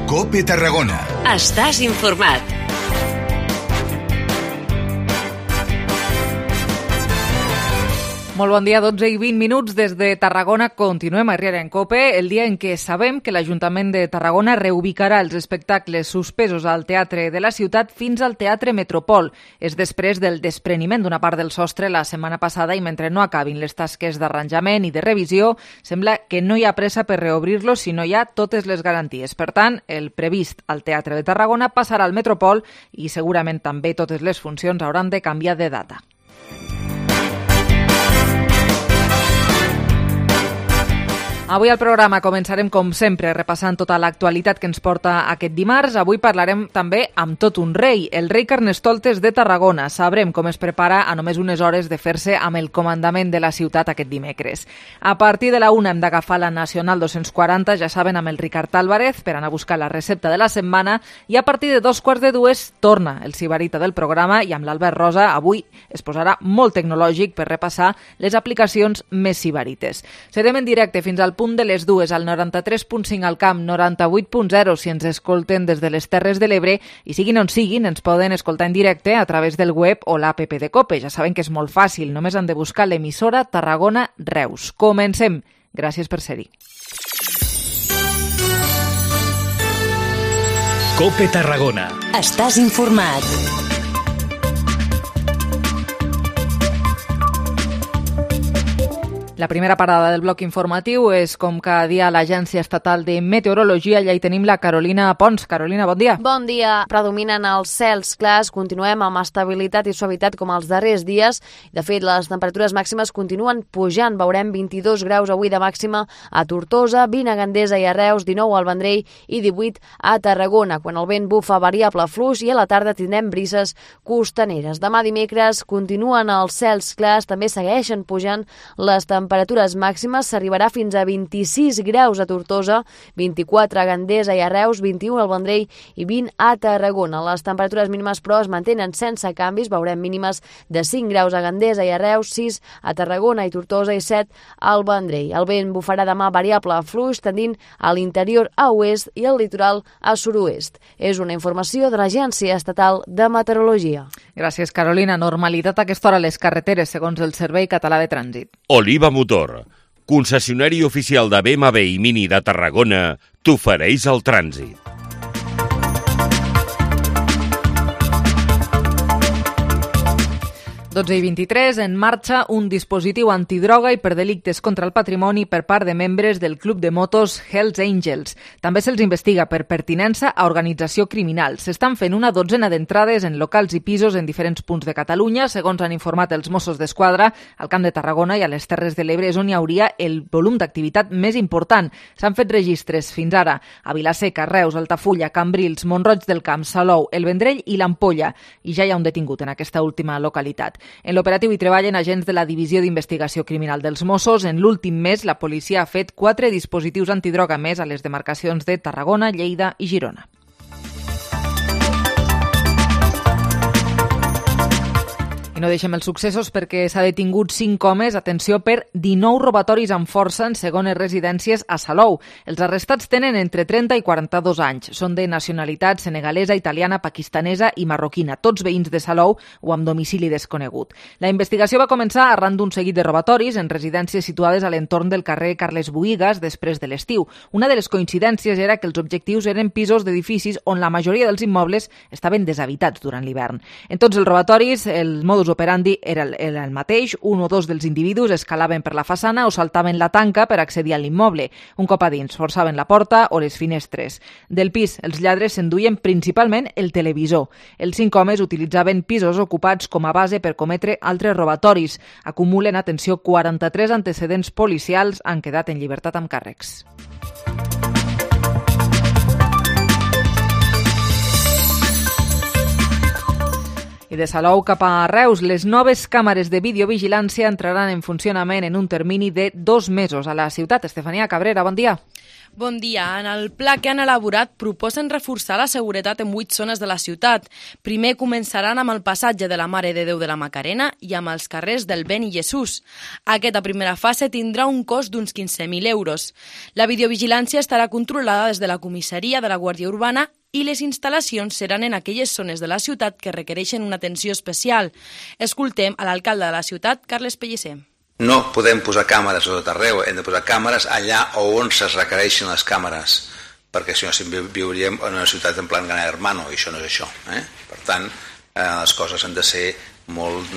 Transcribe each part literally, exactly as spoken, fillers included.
COPE Tarragona. Estàs informat. Molt bon dia, dotze i vint minuts des de Tarragona. Continuem a Riera en COPE, el dia en què sabem que l'Ajuntament de Tarragona reubicarà els espectacles suspesos al Teatre de la Ciutat fins al Teatre Metropol. És després del despreniment d'una part del sostre la setmana passada i mentre no acabin les tasques d'arranjament i de revisió, sembla que no hi ha pressa per reobrir-lo si no hi ha totes les garanties. Per tant, el previst al Teatre de Tarragona passarà al Metropol i segurament també totes les funcions hauran de canviar de data. Avui al programa començarem, com sempre, repassant tota l'actualitat que ens porta aquest dimarts. Avui parlarem també amb tot un rei, el rei Carnestoltes de Tarragona. Sabrem com es prepara a només unes hores de fer-se amb el comandament de la ciutat aquest dimecres. A partir de la una hem d'agafar la Nacional dos-cents quaranta, ja saben, amb el Ricard Álvarez, per anar a buscar la recepta de la setmana, i a partir de dos quarts de dues torna el sibarita del programa i amb l'Albert Rosa avui es posarà molt tecnològic per repassar les aplicacions més sibarites. Serem en directe fins al punt de les dues al noranta-tres punt cinc al camp, noranta-vuit punt zero si ens escolten des de les Terres de l'Ebre i siguin on siguin ens poden escoltar en directe a través del web o l'app de COPE. Ja saben que és molt fàcil, només han de buscar l'emissora Tarragona Reus. Comencem. Gràcies per ser-hi. COPE Tarragona. Estàs informat. La primera parada del bloc informatiu és, com cada dia, a l'Agència Estatal de Meteorologia. Allà hi tenim la Carolina Pons. Carolina, bon dia. Bon dia. Predominen els cels clars. Continuem amb estabilitat i suavitat com els darrers dies. De fet, les temperatures màximes continuen pujant. Veurem vint-i-dos graus avui de màxima a Tortosa, vint a Gandesa i a Reus, dinou al Vendrell i divuit a Tarragona, quan el vent bufa variable fluix i a la tarda tindrem brises costaneres. Demà dimecres continuen els cels clars. També segueixen pujant les temperatures temperatures màximes, s'arribarà fins a vint-i-sis graus a Tortosa, vint-i-quatre a Gandesa i a Reus, vint-i-u al Vendrell i vint a Tarragona. Les temperatures mínimes, però, es mantenen sense canvis. Veurem mínimes de cinc graus a Gandesa i a Reus, sis a Tarragona i Tortosa i set al Vendrell. El vent bufarà demà variable fluix, tendint a l'interior a oest i al litoral a sud-oest. És una informació de l'Agència Estatal de Meteorologia. Gràcies, Carolina. Normalitat a aquesta hora a les carreteres, segons el Servei Català de Trànsit. Oliva Motor, concessionari oficial de B M W i Mini de Tarragona, t'ofereix el trànsit. dotze i vint-i-tres, en marxa un dispositiu antidroga i per delictes contra el patrimoni per part de membres del club de motos Hells Angels. També se'ls investiga per pertinença a organització criminal. S'estan fent una dotzena d'entrades en locals i pisos en diferents punts de Catalunya. Segons han informat els Mossos d'Esquadra, al Camp de Tarragona i a les Terres de l'Ebre és on hi hauria el volum d'activitat més important. S'han fet registres fins ara a Vilaseca, Reus, Altafulla, Cambrils, Mont-roig del Camp, Salou, el Vendrell i l'Ampolla. I ja hi ha un detingut en aquesta última localitat. En l'operatiu hi treballen agents de la Divisió d'Investigació Criminal dels Mossos. En l'últim mes, la policia ha fet quatre dispositius antidroga més a les demarcacions de Tarragona, Lleida i Girona. I no deixem els successos perquè s'ha detingut cinc homes, atenció, per dinou robatoris amb força en segones residències a Salou. Els arrestats tenen entre trenta i quaranta-dos anys. Són de nacionalitat senegalesa, italiana, pakistanesa i marroquina, tots veïns de Salou o amb domicili desconegut. La investigació va començar arran d'un seguit de robatoris en residències situades a l'entorn del carrer Carles Buïgas després de l'estiu. Una de les coincidències era que els objectius eren pisos d'edificis on la majoria dels immobles estaven deshabitats durant l'hivern. En tots els robatoris, el modus operandi era el, era el mateix. Un o dos dels individus escalaven per la façana o saltaven la tanca per accedir a l'immoble. Un cop a dins, forçaven la porta o les finestres. Del pis, els lladres s'enduien principalment el televisor. Els cinc homes utilitzaven pisos ocupats com a base per cometre altres robatoris. Acumulen, atenció, quaranta-tres antecedents policials, han quedat en llibertat amb càrrecs. I I de Salou cap a Reus, les noves càmeres de videovigilància entraran en funcionament en un termini de dos mesos a la ciutat. Estefania Cabrera, bon dia. Bon dia. En el pla que han elaborat proposen reforçar la seguretat en vuit zones de la ciutat. Primer començaran amb el passatge de la Mare de Déu de la Macarena i amb els carrers del Beni Jesús. Aquesta primera fase tindrà un cost d'uns quinze mil euros. La videovigilància estarà controlada des de la comissaria de la Guàrdia Urbana i les instal·lacions seran en aquelles zones de la ciutat que requereixen una atenció especial. Escoltem a l'alcalde de la ciutat, Carles Pellicer. No podem posar càmeres a tot arreu, hem de posar càmeres allà on se requereixen les càmeres, perquè si no viuríem en una ciutat en plan gran hermano, i això no és això. Eh? Per tant, eh, les coses han de ser molt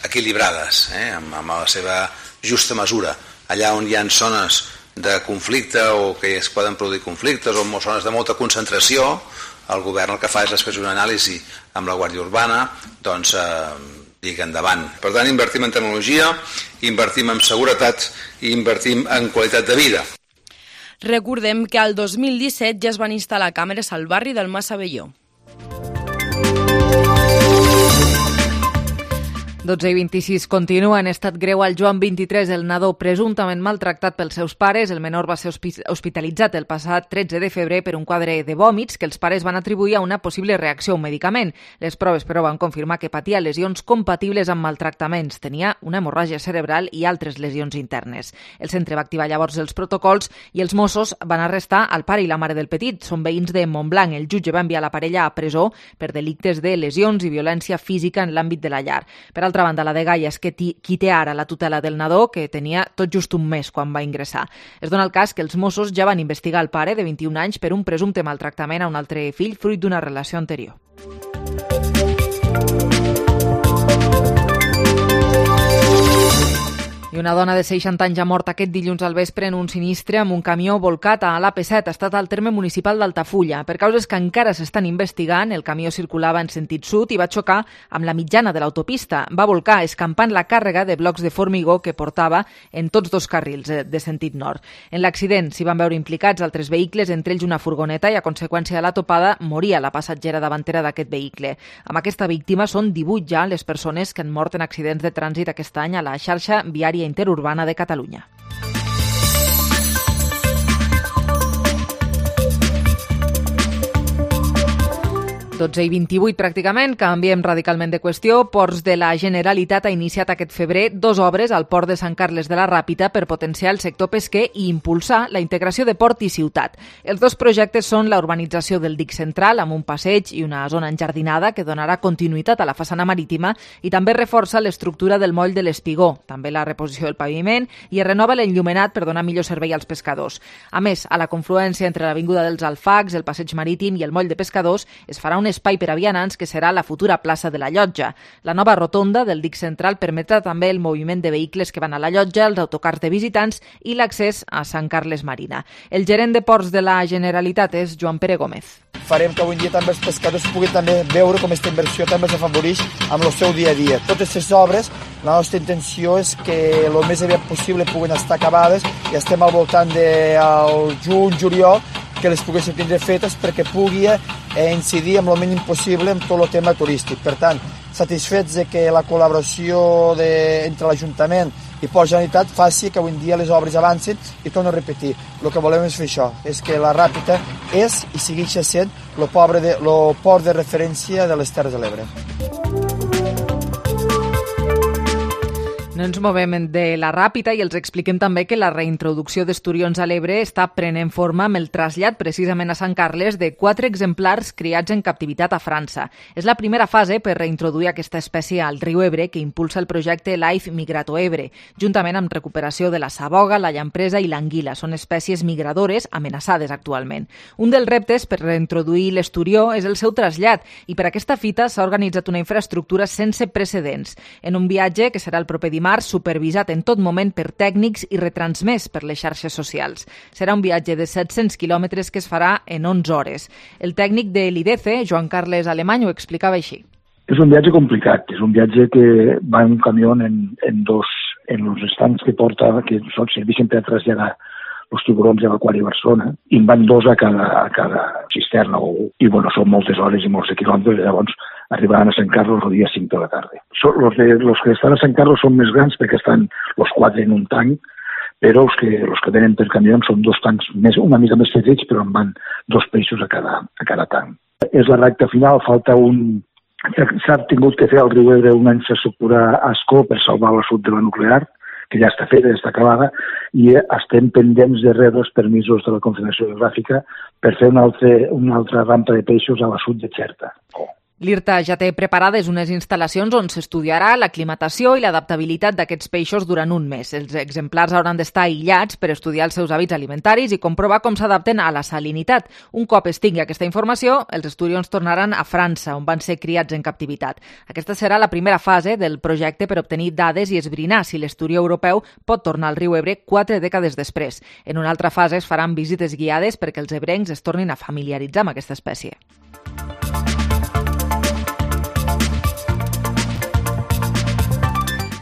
equilibrades, eh? amb, amb la seva justa mesura. Allà on hi ha zones de conflicte o que es poden produir conflictes o zones de molta concentració, el govern el que fa és després una anàlisi amb la Guàrdia Urbana, doncs eh, lliga endavant. Per tant, invertim en tecnologia, invertim en seguretat i invertim en qualitat de vida. Recordem que al dos mil disset ja es van instal·lar càmeres al barri del Mas Abelló. dotze i vint-i-sis continua en estat greu al Joan vint-i-tres, el nadó presumptament maltractat pels seus pares. El menor va ser hospitalitzat el passat tretze de febrer per un quadre de vòmits que els pares van atribuir a una possible reacció a un medicament. Les proves, però, van confirmar que patia lesions compatibles amb maltractaments. Tenia una hemorràgia cerebral i altres lesions internes. El centre va activar llavors els protocols i els Mossos van arrestar el pare i la mare del petit. Són veïns de Montblanc. El jutge va enviar la parella a presó per delictes de lesions i violència física en l'àmbit de la llar. Per altra banda, la dgaia és que qui té ara la tutela del nadó, que tenia tot just un mes quan va ingressar. Es dona el cas que els Mossos ja van investigar el pare de vint-i-un anys per un presumpte maltractament a un altre fill fruit d'una relació anterior. I una dona de seixanta anys ha mort aquest dilluns al vespre en un sinistre amb un camió volcat a l'A P set, ha estat al terme municipal d'Altafulla. Per causes que encara s'estan investigant, el camió circulava en sentit sud i va xocar amb la mitjana de l'autopista. Va volcar escampant la càrrega de blocs de formigó que portava en tots dos carrils de sentit nord. En l'accident s'hi van veure implicats altres vehicles, entre ells una furgoneta, i a conseqüència de la topada moria la passatgera davantera d'aquest vehicle. Amb aquesta víctima són divuit ja les persones que han mort en accidents de trànsit aquest any a la xarxa viària interurbana de Catalunya. dotze i vint-i-vuit pràcticament, canviem radicalment de qüestió. Ports de la Generalitat ha iniciat aquest febrer dos obres al port de Sant Carles de la Ràpita per potenciar el sector pesquer i impulsar la integració de port i ciutat. Els dos projectes són la urbanització del dic central amb un passeig i una zona enjardinada que donarà continuïtat a la façana marítima i també reforça l'estructura del moll de l'Espigó, també la reposició del paviment i es renova l'enllumenat per donar millor servei als pescadors. A més, a la confluència entre l'Avinguda dels Alfacs, el passeig marítim i el moll de pescadors es farà un espai per a vianants que serà la futura plaça de la Llotja. La nova rotonda del dic central permetrà també el moviment de vehicles que van a la Llotja, els autocars de visitants i l'accés a Sant Carles Marina. El gerent de ports de la Generalitat és Joan Pere Gómez. Farem que avui dia també els pescadors puguin també veure com aquesta inversió també els afavoreix amb el seu dia a dia. Totes aquestes obres, la nostra intenció és que el més aviat possible puguin estar acabades i estem al voltant del juny, juliol, que les poguéssim tindre fetes perquè pugui incidir amb el mínim possible en tot el tema turístic. Per tant, satisfets de que la col·laboració de, entre l'Ajuntament i Port Generalitat faci que avui dia les obres avancin i torno a repetir. El que volem és fer això, és que la Ràpita és i segueix sent el port de referència de les Terres de l'Ebre. No ens movem de la Ràpita i els expliquem també que la reintroducció d'esturions a l'Ebre està prenent forma amb el trasllat precisament a Sant Carles de quatre exemplars criats en captivitat a França. És la primera fase per reintroduir aquesta espècie al riu Ebre que impulsa el projecte Life Migrato Ebre, juntament amb recuperació de la saboga, la llampresa i l'anguila. Són espècies migradores amenaçades actualment. Un dels reptes per reintroduir l'esturió és el seu trasllat i per aquesta fita s'ha organitzat una infraestructura sense precedents. En un viatge que serà el proper dimarts, supervisat en tot moment per tècnics i retransmès per les xarxes socials. Serà un viatge de set-cents quilòmetres que es farà en onze hores. El tècnic de l'I D C, Joan Carles Alemany, ho explicava així. És un viatge complicat, és un viatge que va en un camió en, en dos, en els estancs que porta, que són, serveixen per traslladar els tiburons de l'Aquari Barcelona, i en van dos a cada, a cada cisterna, o, i bueno, són moltes hores i molts de quilòmetres, llavors arribaran a Sant Carlos el dia cinc de la tarda. So, los, de, los que estan a Sant Carlos són més grans perquè estan els quatre en un tanc, però els que, els que venen per camió són dos tancs més, una mica més petits, però en van dos peixos a cada, a cada tanc. És la recta final, falta un... S'ha tingut que fer al riu Ebre una infraestructura Asco per salvar la sud de la nuclear, que ja està feta, ja està acabada, i estem pendents de rebre els permisos de la Confederació Geogràfica per fer una altra, una altra rampa de peixos a la sud de Xerta. L'I R T A ja té preparades unes instal·lacions on s'estudiarà l'aclimatació i l'adaptabilitat d'aquests peixos durant un mes. Els exemplars hauran d'estar aïllats per estudiar els seus hàbits alimentaris i comprovar com s'adapten a la salinitat. Un cop es tingui aquesta informació, els estudiants tornaran a França, on van ser criats en captivitat. Aquesta serà la primera fase del projecte per obtenir dades i esbrinar si l'esturi europeu pot tornar al riu Ebre quatre dècades després. En una altra fase es faran visites guiades perquè els ebrencs es tornin a familiaritzar amb aquesta espècie.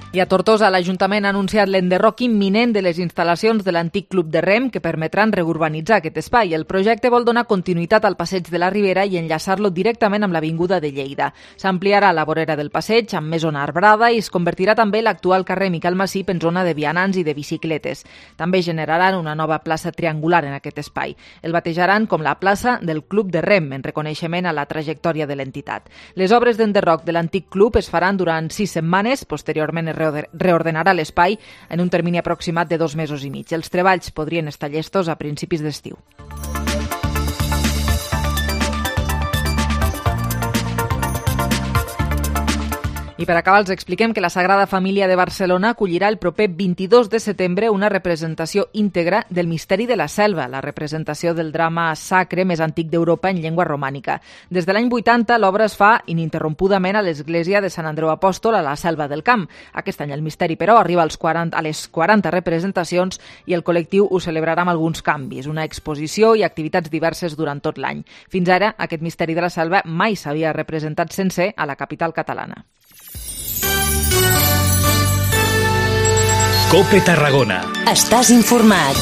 I a Tortosa, l'Ajuntament ha anunciat l'enderroc imminent de les instal·lacions de l'antic club de rem que permetran reurbanitzar aquest espai. El projecte vol donar continuïtat al passeig de la Ribera i enllaçar-lo directament amb l'Avinguda de Lleida. S'ampliarà la vorera del passeig amb més zona arbrada i es convertirà també l'actual carrer Miquel Massip en zona de vianants i de bicicletes. També generaran una nova plaça triangular en aquest espai. El batejaran com la plaça del Club de Rem, en reconeixement a la trajectòria de l'entitat. Les obres d'enderroc de l'antic club es faran durant sis setmanes, posteriorment es reordenarà l'espai en un termini aproximat de dos mesos i mig. Els treballs podrien estar llestos a principis d'estiu. I per acabar els expliquem que la Sagrada Família de Barcelona acollirà el proper vint-i-dos de setembre una representació íntegra del Misteri de la Selva, la representació del drama sacre més antic d'Europa en llengua romànica. Des de l'any vuitanta l'obra es fa ininterrompudament a l'església de Sant Andreu Apòstol a la Selva del Camp. Aquest any el misteri, però, arriba als quaranta, a les quaranta representacions i el col·lectiu ho celebrarà amb alguns canvis, una exposició i activitats diverses durant tot l'any. Fins ara, aquest Misteri de la Selva mai s'havia representat sencer a la capital catalana. COPE Tarragona. Estàs informat.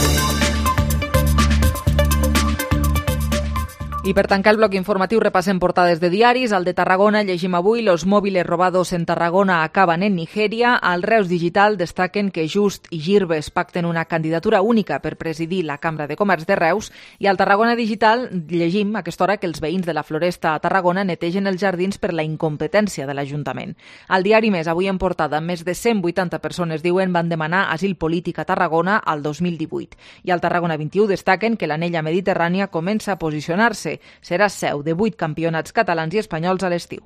I per tancar el bloc informatiu repassem portades de diaris. Al de Tarragona llegim avui: los móviles robados en Tarragona acaban en Nigeria. Al Reus Digital destaquen que Just i Girves pacten una candidatura única per presidir la Cambra de Comerç de Reus. I al Tarragona Digital llegim a aquesta hora que els veïns de la Floresta a Tarragona netegen els jardins per la incompetència de l'Ajuntament. Al diari Més, avui en portada, més de cent vuitanta persones, diuen, van demanar asil polític a Tarragona al dos mil divuit. I al Tarragona vint-i-u destaquen que l'anella mediterrània comença a posicionar-se. Serà seu de vuit campionats catalans i espanyols a l'estiu.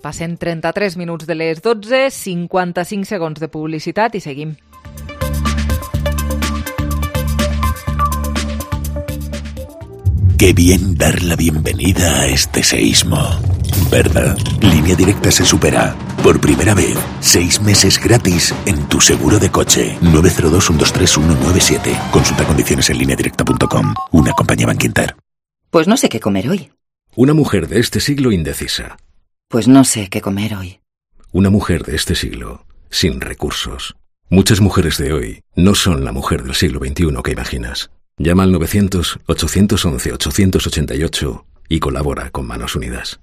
Passen trenta-tres minuts de les dotze, cinquanta-cinc segons de publicitat i seguim. Qué bien dar la bienvenida a este seísmo, ¿verdad? Línea Directa se supera. Por primera vez, seis meses gratis en tu seguro de coche. nueve cero dos, uno dos tres, uno nueve siete. Consulta condiciones en línea directa punto com. Una compañía Bankinter. Pues no sé qué comer hoy. Una mujer de este siglo indecisa. Pues no sé qué comer hoy. Una mujer de este siglo sin recursos. Muchas mujeres de hoy no son la mujer del siglo veintiuno que imaginas. Llama al novecientos, ochocientos once, ochocientos ochenta y ocho y colabora con Manos Unidas.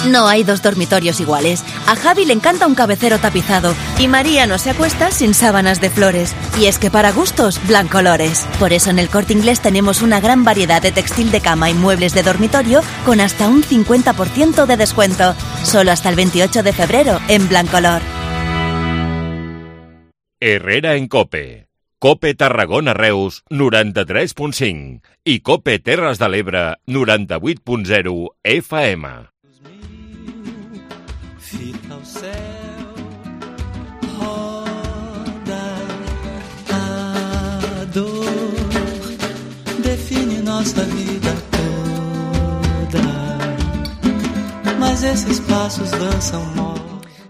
No hay dos dormitorios iguales. A Javi le encanta un cabecero tapizado y María no se acuesta sin sábanas de flores. Y es que para gustos, Blancolores. Por eso en el Corte Inglés tenemos una gran variedad de textil de cama y muebles de dormitorio con hasta un cincuenta por ciento de descuento. Solo hasta el veintiocho de febrero en Blancolor. Herrera en COPE. COPE Tarragona Reus noranta-tres punt cinc i COPE Terres de l'Ebre noranta-vuit punt zero F M. Fica ao céu, roda, a dor define nossa vida toda, mas esses passos dançam molt.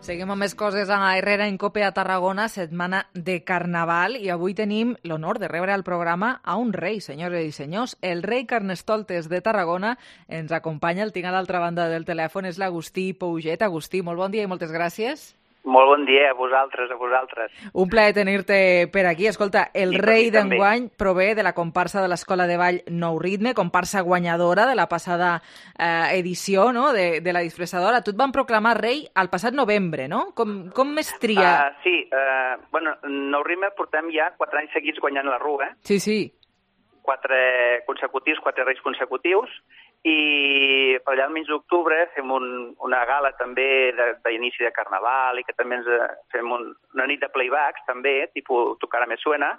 Seguim amb més coses a Herrera en COPE a Tarragona, setmana de Carnaval, i avui tenim l'honor de rebre al programa a un rei, senyores i senyors. El rei Carnestoltes de Tarragona ens acompanya, el tinc a l'altra banda del telèfon, és l'Agustí Pouget. Agustí, molt bon dia i moltes gràcies. Molt bon dia a vosaltres, a vosaltres. Un plaer tenir-te per aquí. Escolta, el I rei d'enguany prové de la comparsa de l'Escola de Ball Nou Ritme, comparsa guanyadora de la passada eh, edició, no?, de, de la disfressadora. Tu et van proclamar rei al passat novembre, no? Com, com es tria? Uh, sí, uh, bueno, Nou Ritme portem ja quatre anys seguits guanyant la Rua. Sí, sí. Quatre consecutius, quatre reis consecutius, i per allà al mig d'octubre fem un, una gala també d'inici de, de Carnaval i que també ens fem un, una nit de playbacks també, tipus Tu cara me suena,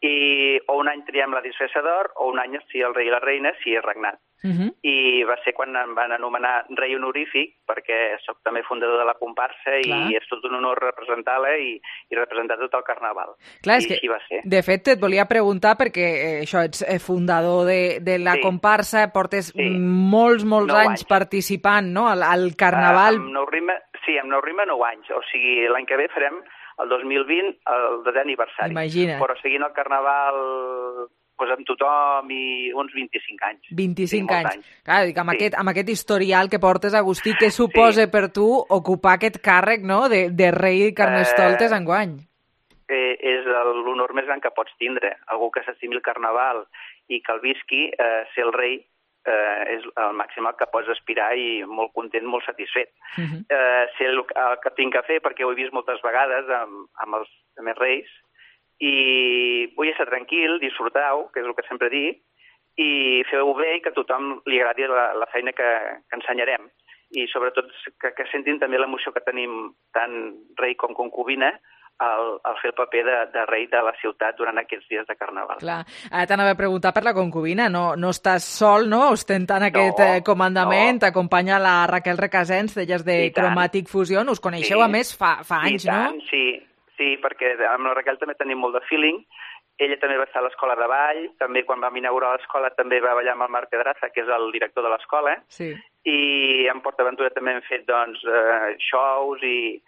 i o un any triem la disfressador o un any si el rei i la reina si és regnat. Uh -huh. I va ser quan em van anomenar rei honorífic, perquè sóc també fundador de la comparsa. Clar. I és tot un honor representar-la i, i representar tot el Carnaval. Clar, I és que, així va ser. De fet, et volia preguntar, perquè eh, això, ets fundador de, de la sí. comparsa, portes sí. molts, molts anys, anys participant, no?, al, al Carnaval. Uh, amb Nou Ritme, sí, amb Nou Ritme nou anys, o sigui, l'any que ve farem el dos mil vint, el desè aniversari. Imagina. Però seguint el Carnaval pues, amb tothom i uns vint-i-cinc anys. vint-i-cinc anys. anys. Clar, dic, amb, sí. aquest, amb aquest historial que portes, Agustí, què suposa sí. per tu ocupar aquest càrrec, no?, de, de rei Carnestoltes eh, enguany? Eh, és l'honor més gran que pots tindre. Algú que s'estimi el Carnaval i que el visqui, eh, ser el rei, eh, és el màxim al que pots aspirar i molt content, molt satisfet. Uh -huh. eh, ser el, el que tinc que fer, perquè ho he vist moltes vegades amb, amb els més reis, i vull estar tranquil, disfrutau, que és el que sempre dic, i feu-ho bé i que a tothom li agradi la, la feina que, que ensenyarem. I sobretot que, que sentin també l'emoció que tenim tant rei com concubina al, al fer el paper de, de rei de la ciutat durant aquests dies de Carnaval. Clar, ara t'anava a preguntar per la concubina, no, no estàs sol, no?, ostentant aquest no, eh, comandament, no. T'acompanya la Raquel Recasens, d'elles de Chromatic Fusion, us coneixeu sí. a més fa, fa anys, I tant, no? Sí, sí, perquè amb la Raquel també tenim molt de feeling. Ella també va estar a l'escola de ball, també quan vam inaugurar l'escola també va ballar amb el Marc Pedraza, que és el director de l'escola, sí. i en PortAventura també hem fet doncs, eh, shows i,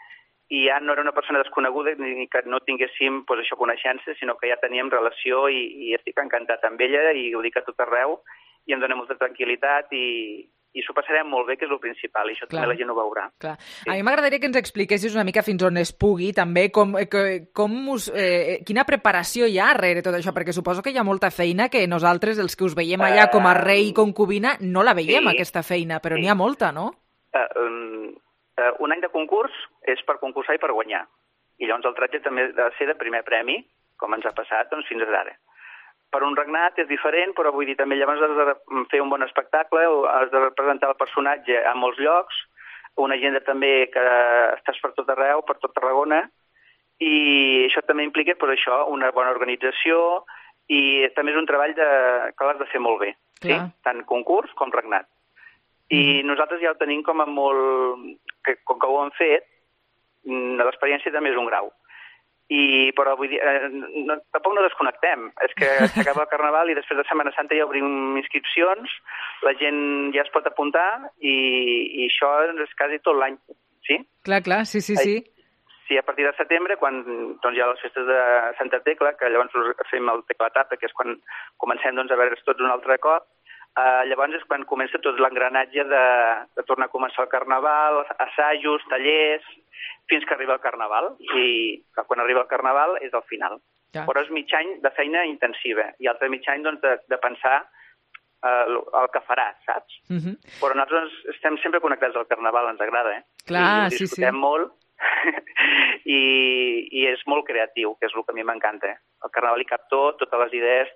i ja no era una persona desconeguda ni que no tinguéssim pues, això, coneixences, sinó que ja teníem relació i, i estic encantat amb ella i ho dic a tot arreu i em dona molta tranquil·litat i, i s'ho passarem molt bé, que és el principal, i això Clar. també la gent ho veurà. Clar. Sí. A mi m'agradaria que ens expliquessis una mica fins on es pugui, també, com, com us, eh, quina preparació hi ha darrere tot això, perquè suposo que hi ha molta feina que nosaltres, els que us veiem allà com a rei i concubina, no la veiem, sí. aquesta feina, però sí. n'hi ha molta, no? Uh, um, uh, un any de concurs és per concursar i per guanyar, i llavors el tratge també ha de ser de primer premi, com ens ha passat doncs, fins ara. Per un regnat és diferent, però vull dir, també llavors has de fer un bon espectacle, has de representar el personatge a molts llocs, una agenda també que estàs per tot arreu, per tot Tarragona, i això també implica, per això, una bona organització i també és un treball de, que l'has de fer molt bé, sí? Tant concurs com regnat. I mm. nosaltres ja ho tenim com a molt... Que, com que ho hem fet, l'experiència també és un grau. I, però vull dir, eh, no, tampoc no desconnectem. És que s'acaba el Carnaval i després de Setmana Santa ja obrim inscripcions, la gent ja es pot apuntar i, i això és quasi tot l'any, sí? Clar, clar, sí, sí, sí. Sí, a partir de setembre, quan doncs, hi ha les festes de Santa Tecla, que llavors fem el Teclatata, que és quan comencem doncs, a veure's tots un altre cop, eh, llavors és quan comença tot l'engranatge de, de tornar a començar el Carnaval, assajos, tallers, fins que arriba el Carnaval, i quan arriba el Carnaval és el final. Ja. Però és mig any de feina intensiva, i altre mig any doncs, de, de pensar eh, el que faràs, saps? Uh -huh. Però nosaltres estem sempre connectats al Carnaval, ens agrada, eh? Clar, I sí, sí. disfrutem molt, I, i és molt creatiu, que és el que a mi m'encanta. Eh? El Carnaval hi cap tot, totes les idees,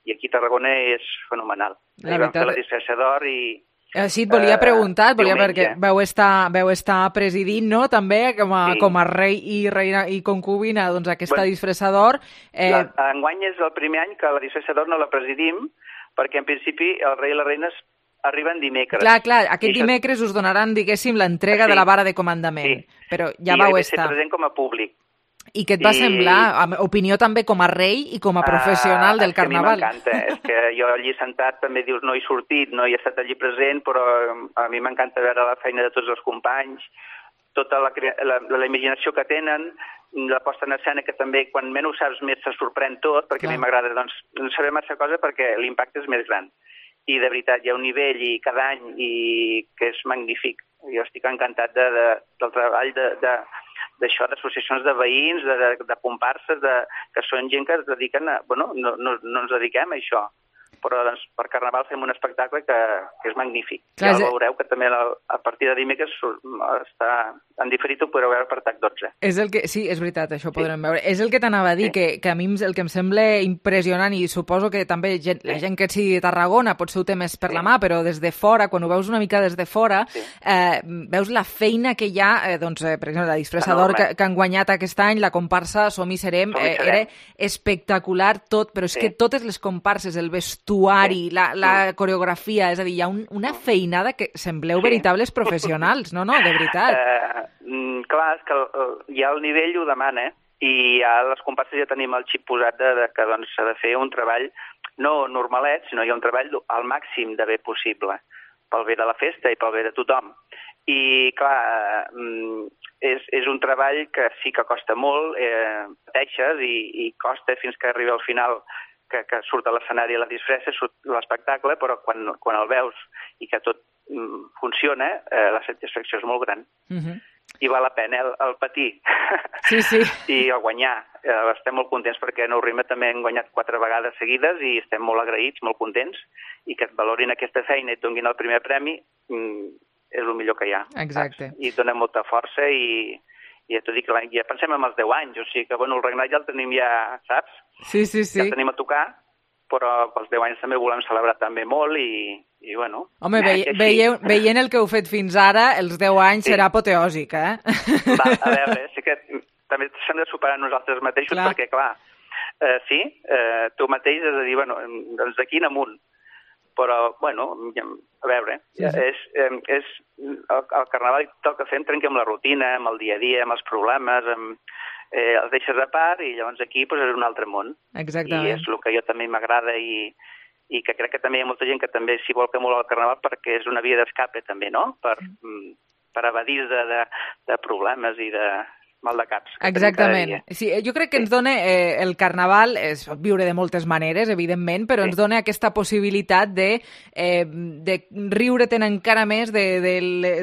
i aquí a Tarragona és fenomenal. La vam fer la disfressador i... Sí, et volia preguntar, et volia perquè veu estar, veu estar presidint, no?, també, com a, sí. com a rei i reina i concubina, doncs aquesta bueno, disfressador. Eh... La, enguany és el primer any que la disfressador no la presidim, perquè en principi el rei i les reines arriben dimecres. Clar, clar, aquest això... dimecres us donaran, diguéssim, l'entrega sí. de la vara de comandament, sí. però ja I vau estar. I estar. present com a públic. I què et va I... semblar? Opinió també com a rei i com a professional uh, del Carnaval. A mi m'encanta, és que jo allí sentat també dius no he sortit, no he estat allí present, però a mi m'encanta veure la feina de tots els companys, tota la, la, la imaginació que tenen, la posta en escena que també quan menys ho saps més se sorprèn tot, perquè Clar. a mi m'agrada doncs, no saber massa cosa perquè l'impacte és més gran. I de veritat hi ha un nivell i cada any i que és magnífic. Jo estic encantat de, de, del treball de, de, d'això, d'associacions de veïns, de, de, de comparses, de, que són gent que es dediquen a... Bueno, no, no, no ens dediquem a això, però doncs, per Carnaval fem un espectacle que, que és magnífic. Clar, ja el veureu que també a, a partir de dimecres està en diferit, ho podreu veure per T A C dotze. És el que, sí, és veritat, això ho podrem sí. veure. És el que t'anava a dir, sí. que, que a mi el que em sembla impressionant, i suposo que també gent, sí. la gent que sigui de Tarragona potser ho té més per sí. la mà, però des de fora, quan ho veus una mica des de fora, sí. eh, veus la feina que hi ha, eh, doncs, eh, per exemple, la disfressa d'or que, que han guanyat aquest any, la comparsa Som i Serem, Som i Serem. Eh, era espectacular tot, però és sí. que totes les comparses, el vestuari, sí. la, la coreografia, és a dir, hi ha un, una feinada que sembleu sí. veritables professionals, no, no, de veritat. Uh, clar, és que el, ja el nivell ho demana, eh? I ja les comparses ja tenim el xip posat de, de que doncs, s'ha de fer un treball no normalet, sinó hi ha un treball al màxim de bé possible, pel bé de la festa i pel bé de tothom. I, clar, és, és un treball que sí que costa molt, eh, pateixes i, i costa fins que arriba al final que, que surt a l'escenari la disfressa, surt l'espectacle, però quan, quan el veus i que tot mm, funciona, eh, la satisfacció és molt gran. Uh-huh. I val la pena el, el patir sí, sí. i el guanyar. Eh, estem molt contents perquè Nou Rima també hem guanyat quatre vegades seguides i estem molt agraïts, molt contents, i que et valorin aquesta feina i et donin el primer premi mm, és el millor que hi ha. Exacte. Saps? I et dona molta força i, i ja t'ho dic, ja pensem en els deu anys, o sigui que bueno, el regnat ja el tenim ja, saps? Sí, sí, sí. Ja el tenim a tocar, però pels deu anys també volem celebrar també molt i, i bueno... Home, vei, veieu, veient el que heu fet fins ara, els deu anys sí. serà apoteòsic, eh? Va, a veure, sí que també s'hem de superar nosaltres mateixos, clar. perquè, clar, eh, sí, eh, tu mateix has de dir, bueno, doncs d'aquí en amunt, però, bueno, a veure, sí, sí. és, eh, és el, el Carnaval tot el que fem trenca amb la rutina, amb el dia a dia, amb els problemes, amb, eh, els deixes a part i llavors aquí pues, és un altre món. Exactament. I és el que jo també m'agrada i, i que crec que també hi ha molta gent que també s'hi vol que molt al Carnaval perquè és una via d'escape també, no? Per, per evadir de, de, de problemes i de mal de caps. Exactament. Sí, jo crec que ens dona eh, el Carnaval, es pot viure de moltes maneres, evidentment, però sí. ens dona aquesta possibilitat de, eh, de riure-te'n encara més de, de,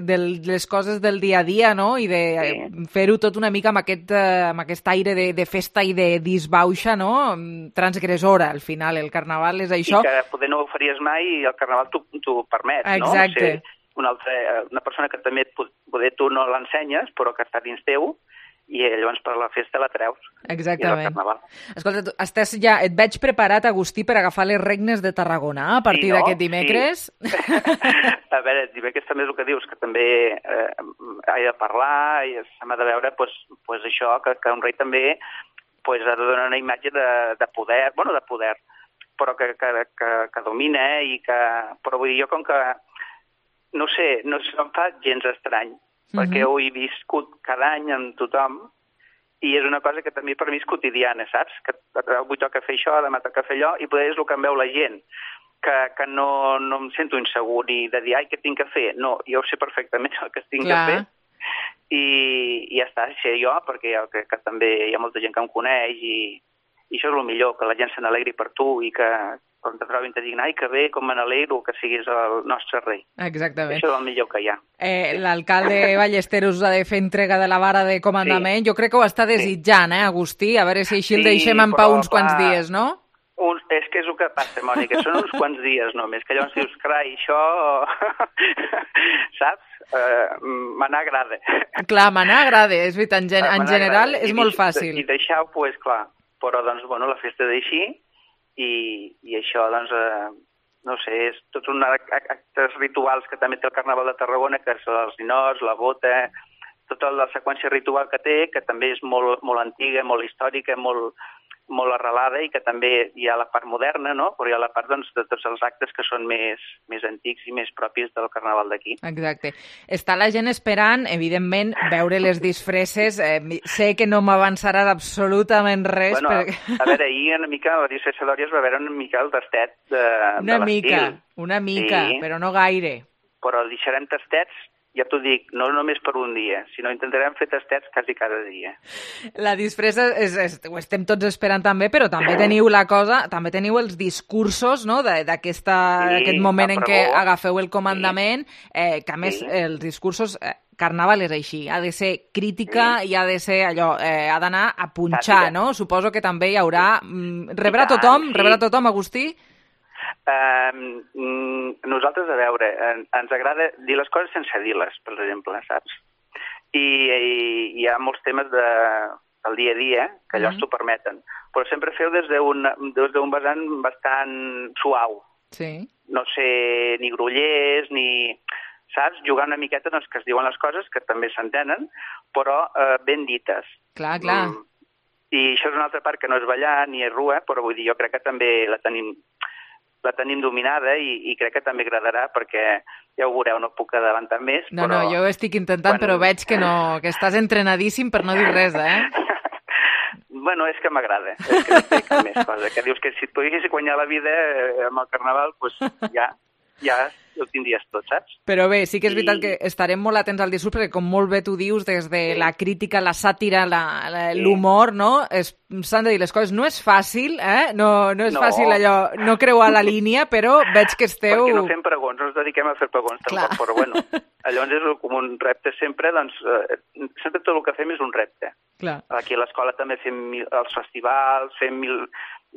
de les coses del dia a dia, no? I de sí. fer-ho tot una mica amb aquest, eh, amb aquest aire de, de festa i de disbauxa, no? Transgressora, al final. El Carnaval és això. I que poder no ho faries mai i el Carnaval t'ho permet, no? Exacte. Ser una, altra, una persona que també poder tu no l'ensenyes, però que està dins teu, i llavors per la festa la treus. Exactament. Escolta, tu estàs ja, et veig preparat, Agustí, per agafar les regnes de Tarragona a partir sí, no? d'aquest dimecres. Sí. A veure, dimecres també és el que dius, que també eh, he de parlar i s'ha de veure pues, pues això, que, que un rei també pues, ha de donar una imatge de, de poder, bueno, de poder, però que, que, que, que domina i que... Però vull dir, jo com que, no sé, no se'm fa gens estrany, perquè ho he viscut cada any amb tothom i és una cosa que també per mi és quotidiana, saps? Que avui toca fer això, demà toca fer allò, i poder és el que em veu la gent, que, que no, no em sento insegur ni de dir, ai, què tinc que fer? No, jo sé perfectament el que tinc Clar. que fer i, i ja està, sé jo, perquè que, que també hi ha molta gent que em coneix i, i això és el millor, que la gent se n'alegri per tu i que quan te trobin te diguin, ai, que bé, com me n'alegro que siguis el nostre rei. Exactament. Això és el millor que hi ha. Eh, L'alcalde Ballesteros ha de fer entrega de la vara de comandament. Sí. Jo crec que ho està desitjant, eh, Agustí? A veure si així el sí, deixem en pau uns clar, quants dies, no? Un, és que és el que passa, Mònica, són uns quants dies només, que llavors dius, carai, això... Saps? Uh, Manar agrada. Clar, manar agrada, és veritat, en, en general és I, molt fàcil. I deixar-ho, pues, clar, però doncs, bueno, la festa d'així, I, i això, doncs, eh, no sé, és tots uns actes rituals que també té el Carnaval de Tarragona, que és els ninots, la bota, tota la seqüència ritual que té, que també és molt, molt antiga, molt històrica, molt, molt arrelada i que també hi ha la part moderna, no? Però hi ha la part doncs, de tots els actes que són més, més antics i més propis del Carnaval d'aquí. Exacte. Està la gent esperant, evidentment, veure les disfresses. Eh, sé que no m'avançaràs absolutament res. Bueno, perquè... a veure, ahir una mica la disfressa d'Òria es va veure una mica el tastet de, una de l'estil. Mica, una mica, sí, però no gaire. Però deixarem tastets, ja t'ho dic, no només per un dia, sinó intentarem fer tastets quasi cada dia. La disfressa, és, és, ho estem tots esperant també, però també teniu la cosa, també teniu els discursos, no?, d'aquest sí, moment en què agafeu el comandament, sí. eh, que a més sí. els discursos... Eh, Carnaval és així, ha de ser crítica i ha de ser allò, eh, ha d'anar a punxar, no? Suposo que també hi haurà... Rebrà tothom? Rebrà tothom, Agustí? Uh, nosaltres, a veure, ens agrada dir les coses sense dir-les, per exemple, saps? I, i hi ha molts temes de, del dia a dia que allò ens ho permeten, però sempre feu des d'un vessant bastant suau. Sí. No sé, ni grollers, ni... Saps? Jugar una miqueta doncs, que es diuen les coses, que també s'entenen, però eh, ben dites. Clar, clar. Mm. I això és una altra part que no és ballar ni és rua, però vull dir, jo crec que també la tenim, la tenim dominada i, i crec que també agradarà, perquè ja ho veureu, no puc adelantar més. No, però... no, jo estic intentant, quan... però veig que, no, que estàs entrenadíssim per no dir res, eh? Bueno, és que m'agrada, és que no té cap més cosa, que dius que si et poguessis guanyar la vida eh, amb el Carnaval, doncs pues ja, ja ho tindries tot, saps? Però bé, sí que és veritat I... que estarem molt atents al discurs, perquè com molt bé tu dius, des de sí. la crítica, la sàtira, l'humor, no? S'han de dir les coses. No és fàcil, eh? No, no és no. fàcil allò, no creuar la línia, però veig que esteu... Perquè no fem pregons, no ens dediquem a fer pregons, tampoc, però bueno, llavors és com un repte sempre, doncs, eh, sempre tot el que fem és un repte. Clar. Aquí a l'escola també fem mil, els festivals, fem mil,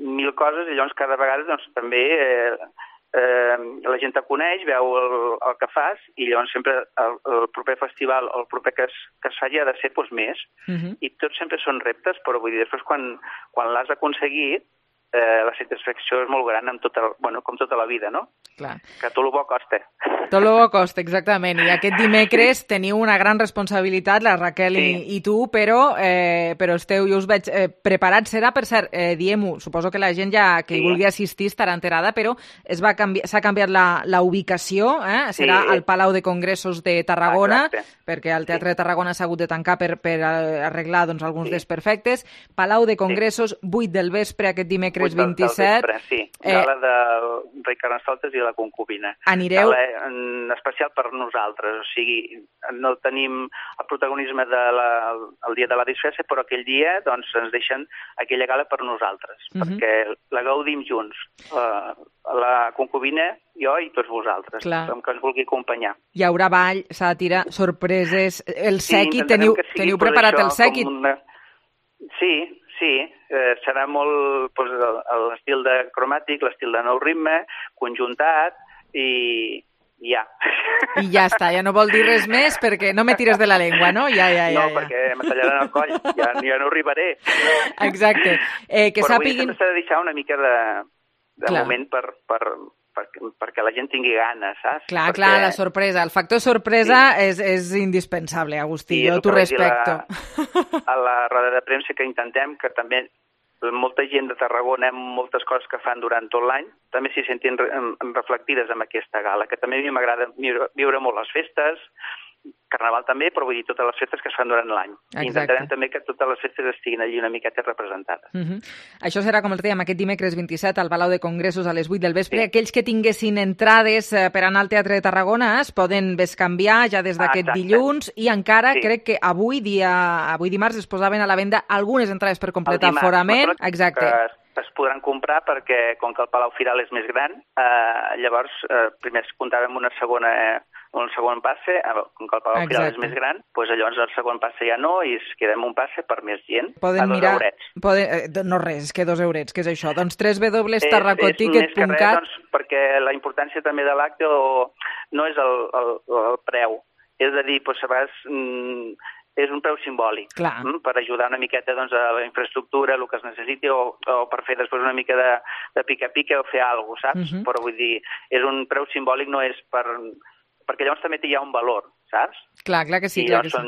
mil coses, i llavors cada vegada doncs, també... Eh, Eh, la gent te coneix, veu el, el que fas, i llavors sempre el, el proper festival, el proper que es, que es faci ha de ser doncs, més. Uh-huh. I tots sempre són reptes, però vull dir, després quan, quan l'has aconseguit, eh, la satisfacció és molt gran, amb tota, bueno, com tota la vida, no? Clar. Que tot el bo costa. Tot el bo costa, exactament. I aquest dimecres teniu una gran responsabilitat, la Raquel sí. i, i tu, però, eh, però esteu, jo us veig eh, preparats. Serà, per cert, eh, diem-ho, suposo que la gent ja que sí. hi vulgui assistir estarà enterada, però es va canviar, s'ha canviat la, la ubicació, eh? Serà sí. al Palau de Congressos de Tarragona, exacte. Perquè el Teatre sí. de Tarragona s'ha hagut de tancar per, per arreglar doncs, alguns sí. desperfectes. Palau de Congressos, sí. vuit del vespre, aquest dimecres vint-i-set. Vespre, sí, gala eh, del rei Carnestoltes i la concubina. Anireu... Gala en especial per nosaltres, o sigui, no tenim el protagonisme de la, el dia de la disfressa, però aquell dia doncs, ens deixen aquella gala per nosaltres, uh-huh. perquè la gaudim junts. La, la concubina, jo i tots vosaltres, com que ens vulgui acompanyar. Hi haurà ball, sàtira, sorpreses, el sequi, sí, teniu, teniu preparat el sequi? Una... Sí, sí, eh, serà molt pues, l'estil de cromàtic, l'estil de nou ritme, conjuntat i, i ja. I ja està, ja no vol dir res més perquè no me tires de la llengua, no? Ja, ja, ja. No, ja. perquè me tallaran el coll, ja, ja no arribaré. Exacte. Eh, que Però sàpiguin... avui s'ha de deixar una mica de, de moment per... per perquè, perquè la gent tingui ganes, saps? Clar, perquè... clar, la sorpresa. El factor sorpresa sí. és, és indispensable, Agustí, sí, jo t'ho respecto. La, a la roda de premsa que intentem, que també molta gent de Tarragona, moltes coses que fan durant tot l'any, també s'hi sentin reflectides en aquesta gala, que també a mi m'agrada viure molt les festes, Carnaval també, però vull dir totes les festes que es fan durant l'any. I intentarem també que totes les festes estiguin allí una miqueta representades. Uh-huh. Això serà, com els dèiem, aquest dimecres vint-i-set al Palau de Congressos a les vuit del vespre. Sí. Aquells que tinguessin entrades per anar al Teatre de Tarragona es poden bescanviar ja des d'aquest ah, dilluns i encara sí. crec que avui, dia, avui dimarts es posaven a la venda algunes entrades per completar el forament. Exacte. Es, es podran comprar perquè, com que el Palau Firal és més gran, eh, llavors eh, primer es comptava amb una segona... Eh, un segon passe, com que el Palau Firal és més gran, doncs llavors el segon passe ja no i es queda amb un passe per més gent, poden a dos mirar, eurets. Poden, no res, és que dos eurets, què és això? Doncs w w w punt tarracoticket punt cat. Doncs, perquè la importància també de l'acte no és el, el, el preu, és a dir, doncs, a vegades mm, és un preu simbòlic, mm, per ajudar una miqueta doncs, a la infraestructura, el que es necessiti, o, o per fer després una mica de, de pica-pica o fer alguna cosa, saps? Uh-huh. Però vull dir, és un preu simbòlic, no és per... perquè llavors també hi ha un valor, saps? Clar, clar que sí. I clar que són,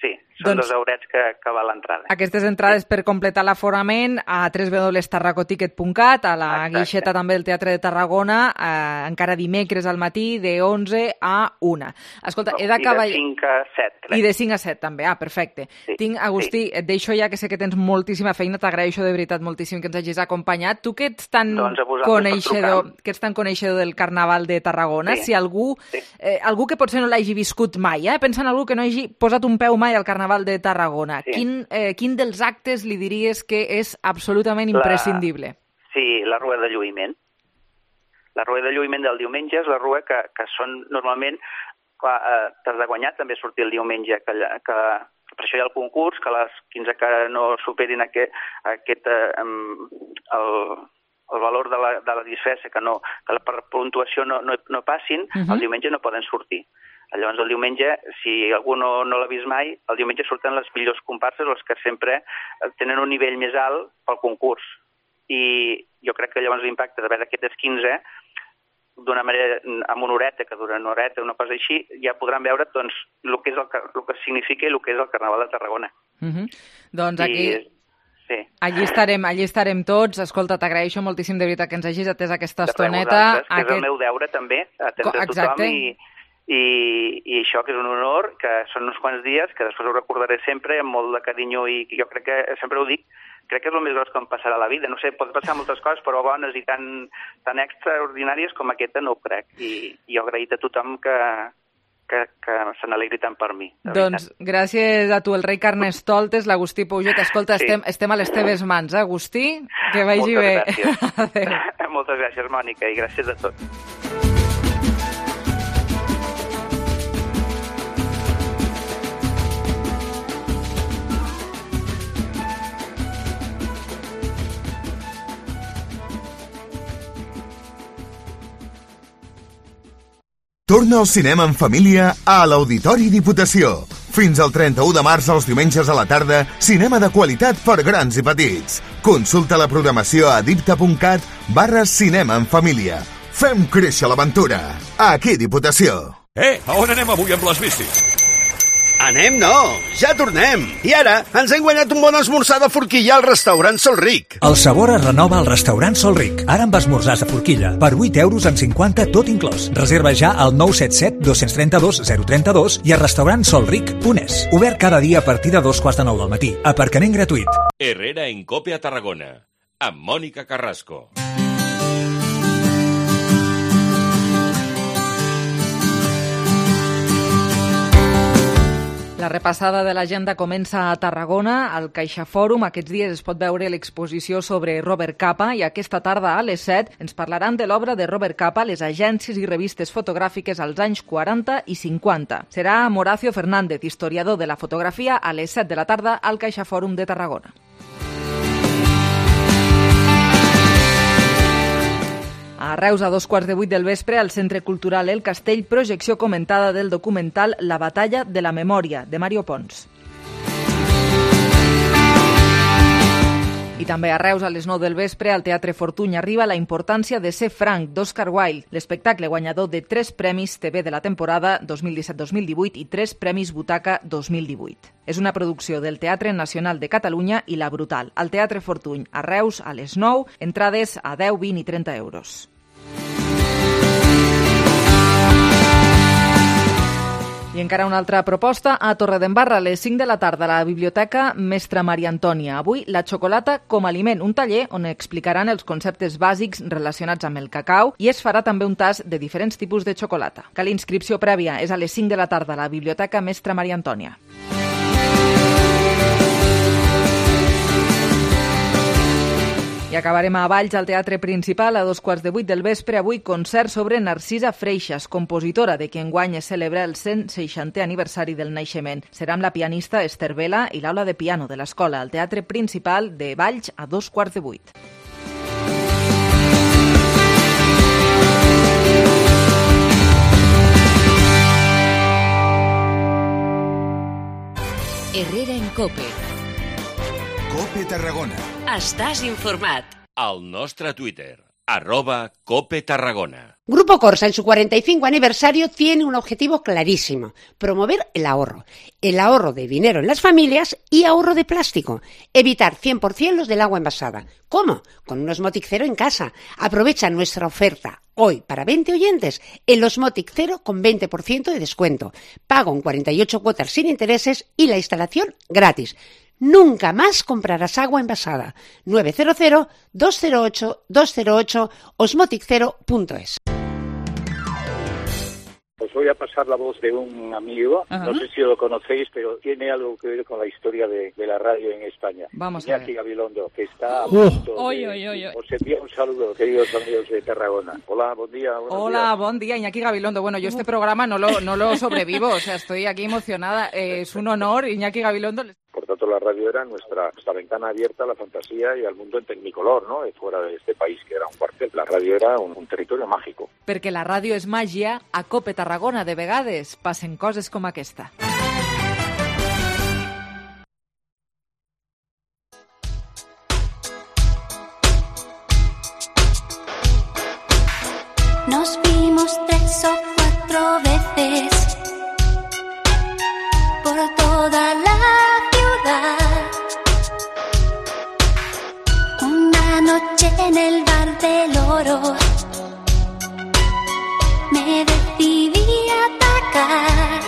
sí, són doncs, dos eurets que, que val l'entrada. Aquestes entrades sí. per completar l'aforament a w w w punt tarracoticket punt cat, a la Exacte. guixeta també del Teatre de Tarragona, eh, encara dimecres al matí, de onze a una. Escolta, he d'acabar... I de cinc a set, crec. I de cinc a set, també. Ah, perfecte. Sí. Tinc, Agustí, sí. et deixo ja, que sé que tens moltíssima feina, t'agraeixo de veritat moltíssim que ens hagis acompanyat. Tu que ets tan, doncs coneixedor, que ets tan coneixedor del Carnaval de Tarragona, sí. si algú, sí. eh, algú que potser no l'hagi viscut mai, eh? pensa en algú que no hagi posat un peu mai al Carnaval de Tarragona, sí. quin, eh, quin dels actes li diries que és absolutament imprescindible? La... Sí, la rua de lluïment. La rua de lluïment del diumenge és la rua que, que són normalment clar, eh, t'has de guanyar també sortir el diumenge, que, que per això hi ha el concurs, que les quinze que no superin aquest, aquest eh, el, el valor de la, de la disfressa, que, no, que per puntuació no, no, no passin, uh-huh. el diumenge no poden sortir. Llavors el diumenge, si algú no, no l'ha vist mai, el diumenge surten les millors comparses, els que sempre tenen un nivell més alt pel concurs. I jo crec que llavors l'impacte d'haver d'aquestes quinze, d'una manera, amb una horeta, que dura una horeta, una cosa així, ja podran veure doncs, el, que és el, el que significa i el que és el Carnaval de Tarragona. Uh-huh. Doncs aquí... I, sí. Allí estarem, allí estarem tots. Escolta, t'agraeixo moltíssim de veritat que ens hagis atès aquesta estoneta. Que aquest... és el meu deure també, atendre tothom i, i, i això que és un honor, que són uns quants dies, que després ho recordaré sempre amb molt de carinyo i jo crec que sempre ho dic, crec que és el més gros que em passarà a la vida. No sé, pot passar moltes coses, però bones i tan, tan extraordinàries com aquesta no ho crec. I, i jo agraït a tothom que, que, que se n'alegri tant per mi. Doncs veritat. Gràcies a tu, el rei Carnestoltes, l'Agustí Pouget. Escolta, sí. estem, estem a les teves mans, eh, Agustí? Que vagi Moltes bé. Gràcies. Moltes gràcies, Mònica, i gràcies a tots. Torna al cinema en família a l'Auditori Diputació. Fins al trenta-u de març, els diumenges a la tarda, cinema de qualitat per grans i petits. Consulta la programació a dipta.cat barra cinema en família. Fem créixer l'aventura. Aquí Diputació. Eh, a on anem avui amb les bicis? Anem no, ja tornem. I ara ens hem guanyat un bon esmorzar de forquilla al restaurant Sol Ric. El sabor es renova al restaurant Sol Ric. Ara amb esmorzars de forquilla per vuit euros amb cinquanta tot inclòs. Reserva ja al nou set set dos tres dos zero tres dos i a restaurant sol ric punt es. Obert cada dia a partir de dos quarts de nou del matí. Aparcament gratuït. Herrera en Cope a Tarragona, amb Mònica Carrasco. La repassada de l'agenda comença a Tarragona. Al CaixaFòrum aquests dies es pot veure l'exposició sobre Robert Capa i aquesta tarda a les set ens parlaran de l'obra de Robert Capa, les agències i revistes fotogràfiques als anys quaranta i cinquanta. Serà Moracio Fernández, historiador de la fotografia, a les set de la tarda al CaixaFòrum de Tarragona. A Reus, a dos quarts de vuit del vespre, al Centre Cultural El Castell, projecció comentada del documental La batalla de la memòria, de Mario Pons. I també a Reus, a les nou del vespre, al Teatre Fortuny arriba La importància de ser franc, d'Oscar Wilde, l'espectacle guanyador de tres premis T V de la temporada dos mil disset dos mil divuit i tres premis Butaca dos mil divuit. És una producció del Teatre Nacional de Catalunya i La Brutal, al Teatre Fortuny, a Reus, a les nou, entrades a deu, vint i trenta euros. I encara una altra proposta a Torredembarra, a les cinc de la tarda, a la Biblioteca Mestra Maria Antònia. Avui, la xocolata com a aliment, un taller on explicaran els conceptes bàsics relacionats amb el cacau i es farà també un tast de diferents tipus de xocolata. Cal inscripció prèvia, és a les cinc de la tarda a la Biblioteca Mestra Maria Antònia. I acabarem a Valls, al Teatre Principal, a dos quarts de vuit del vespre. Avui concert sobre Narcisa Freixas, compositora de qui enguany es celebra el cent seixantè aniversari del naixement. Serà amb la pianista Esther Vela i l'aula de piano de l'escola, al Teatre Principal de Valls, a dos quarts de vuit. Herrera en Cope. Cope Tarragona. Estàs informat. Al nostre Twitter, arroba Cope Tarragona. Grupo Corsa, en su cuarenta y cinco aniversario, tiene un objetivo clarísimo: promover el ahorro. El ahorro de dinero en las familias y ahorro de plástico. Evitar cien por ciento los del agua envasada. ¿Cómo? Con un Osmotic Cero en casa. Aprovecha nuestra oferta hoy para veinte oyentes el Osmotic Cero con veinte por ciento de descuento. Pago en cuarenta y ocho cuotas sin intereses y la instalación gratis. Nunca más comprarás agua envasada. nueve cero cero, dos cero ocho, dos cero ocho, osmotic cero punto es. os voy a pasar la voz de un amigo, uh-huh. no sé si lo conocéis, pero tiene algo que ver con la historia de, de la radio en España. Vamos Iñaki a ver. Gabilondo, que está a Uh. punto Oy, de... oy, oy, oy. Os envío un saludo, queridos amigos de Tarragona. Hola, buen día. Hola, días. buen día, Iñaki Gabilondo. Bueno, yo este programa no lo, no lo sobrevivo, o sea, estoy aquí emocionada. Eh, es un honor, Iñaki Gabilondo. Por tanto, la radio era nuestra, nuestra ventana abierta a la fantasía y al mundo en tecnicolor, ¿no? De fuera de este país, que era un cuartel. La radio era un, un territorio mágico. Perquè la ràdio és màgia, a Cope Tarragona de vegades passen coses com aquesta. Nos vimos tres o cuatro veces por toda la ciudad. Una noche en el bar del Oro me decidí a atacar.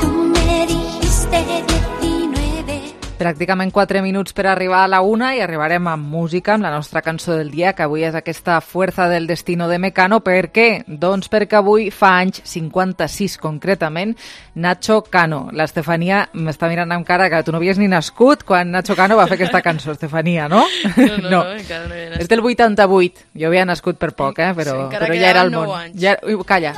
Tú me dijiste diecinueve. Pràcticament quatre minuts per arribar a la una i arribarem amb música, amb la nostra cançó del dia, que avui és aquesta Fuerza del Destino de Mecano. Per què? Doncs perquè avui fa anys, cinquanta-sis concretament, Nacho Cano. L'Estefania m'està mirant amb cara que tu no havies ni nascut quan Nacho Cano va fer aquesta cançó, Estefania, no? No, no, no, encara no havia nascut. És del vuitanta-vuit. Jo havia nascut per poc, eh? Però, sí, però ja era al món. Ja... Ui, calla.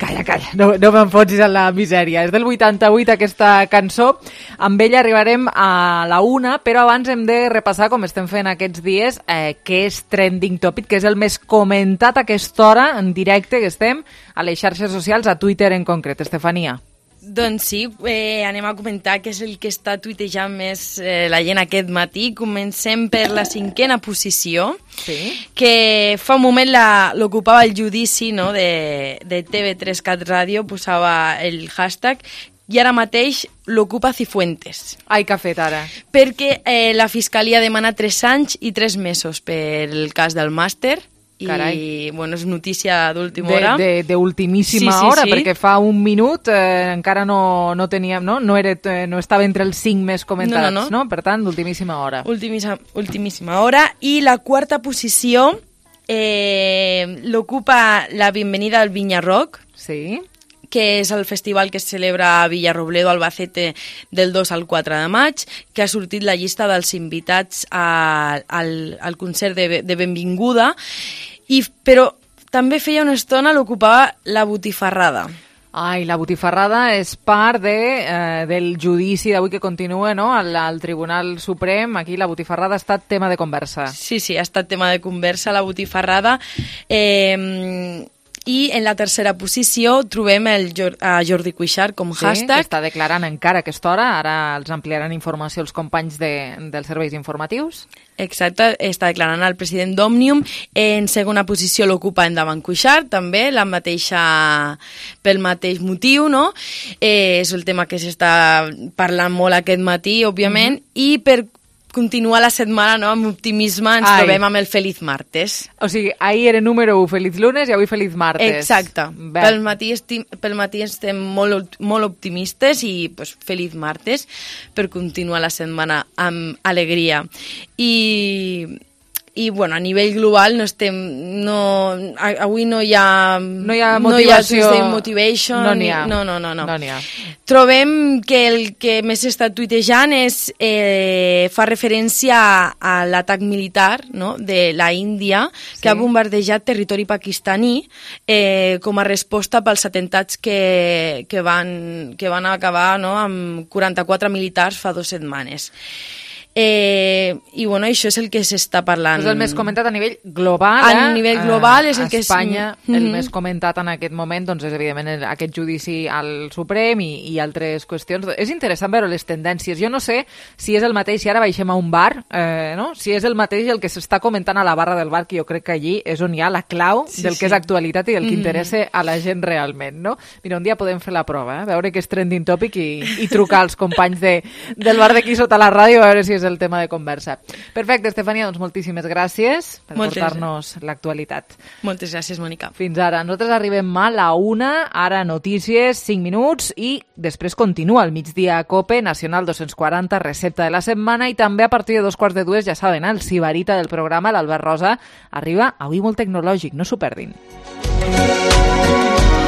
Calla, calla, no, no m'enfonsis en la misèria. És del vuitanta-vuit aquesta cançó. Amb ella arribarem a la una, però abans hem de repassar, com estem fent aquests dies, eh, què és Trending Topic, que és el més comentat a aquesta hora, en directe, que estem a les xarxes socials, a Twitter en concret. Estefania. Doncs sí, eh, anem a comentar què és el que està tuitejant més eh, la gent aquest matí. Comencem per la cinquena posició, sí. que fa un moment la, l'ocupava el judici, no?, de, de T V tres Cat Ràdio, posava el hashtag, i ara mateix l'ocupa Cifuentes. Ai, què ha fet ara? Perquè eh, la Fiscalia demana tres anys i tres mesos pel cas del màster. Carai. I, bueno, és notícia d'última hora. De, de ultimíssima sí, sí, hora, sí. perquè fa un minut eh, encara no, no teníem, no? No, era, eh, no estava entre els cinc més comentats, no, no, no. no? Per tant, d'ultimíssima hora. Ultimíssima, ultimíssima hora. I la quarta posició eh, l'ocupa la Bienvenida al Vinya Rock. Sí. Que és el festival que es celebra a Villarrobledo, Albacete, del dos al quatre de maig, que ha sortit la llista dels invitats a, al, al concert de, de benvinguda, i, però també feia una estona l'ocupava la Botifarrada. Ai, la Botifarrada és part de, eh, del judici d'avui que continua, no?, al, al Tribunal Suprem. Aquí la Botifarrada ha estat tema de conversa. Sí, sí, ha estat tema de conversa la Botifarrada. Eh... I en la tercera posició trobem el a Jordi Cuixart com sí, hashtag. Que està declarant encara a aquesta hora. Ara els ampliaran informació els companys de, dels serveis informatius. Exacte, està declarant el president d'Òmnium. En segona posició l'ocupa Endavant Cuixart, també, la mateixa, pel mateix motiu, no? Eh, és el tema que s'està parlant molt aquest matí, òbviament, mm-hmm. i per continuar la setmana, no?, amb optimisme ens Ai. trobem amb el Feliz Martes. O sigui, ahir era número u Feliz Lunes i avui Feliz Martes. Exacte. Pel matí, estim, pel matí estem molt, molt optimistes i pues, Feliz Martes per continuar la setmana amb alegria. I... I, bueno, a nivell global no estem... No, avui no hi ha... No hi ha motivació. No hi ha motivation. No n'hi ha. No, no, no. no. no n'hi ha. Trobem que el que més està tuitejant és, eh, fa referència a, a l'atac militar, no?, de la Índia, sí. que ha bombardejat territori pakistaní eh, com a resposta pels atemptats que, que, van, que van acabar, no?, amb quaranta-quatre militars fa dues setmanes. Eh, I bueno, això és el que s'està parlant. És el més comentat a nivell global. A eh? nivell global és el a que és... Espanya, mm-hmm. el més comentat en aquest moment doncs és evidentment aquest judici al Suprem i, i altres qüestions. És interessant veure les tendències. Jo no sé si és el mateix, si ara baixem a un bar, eh, no? Si és el mateix el que s'està comentant a la barra del bar, que jo crec que allí és on hi ha la clau sí, del que sí. és actualitat i del que mm-hmm. interessa a la gent realment, no? Mira, un dia podem fer la prova, eh? Veure què és trending topic i, i trucar als companys de, del bar d'aquí sota la ràdio a veure si és és el tema de conversa. Perfecte, Estefania, doncs moltíssimes gràcies per Moltes portar-nos l'actualitat. Moltes gràcies, Mònica. Fins ara. Nosaltres arribem a la una, ara notícies, cinc minuts, i després continua el migdia a COPE, Nacional dos-cents quaranta, recepta de la setmana, i també a partir de dos quarts de dues, ja saben, el sibarita del programa, l'Albert Rosa, arriba avui molt tecnològic, no s'ho perdin.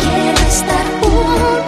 Quiero estar junto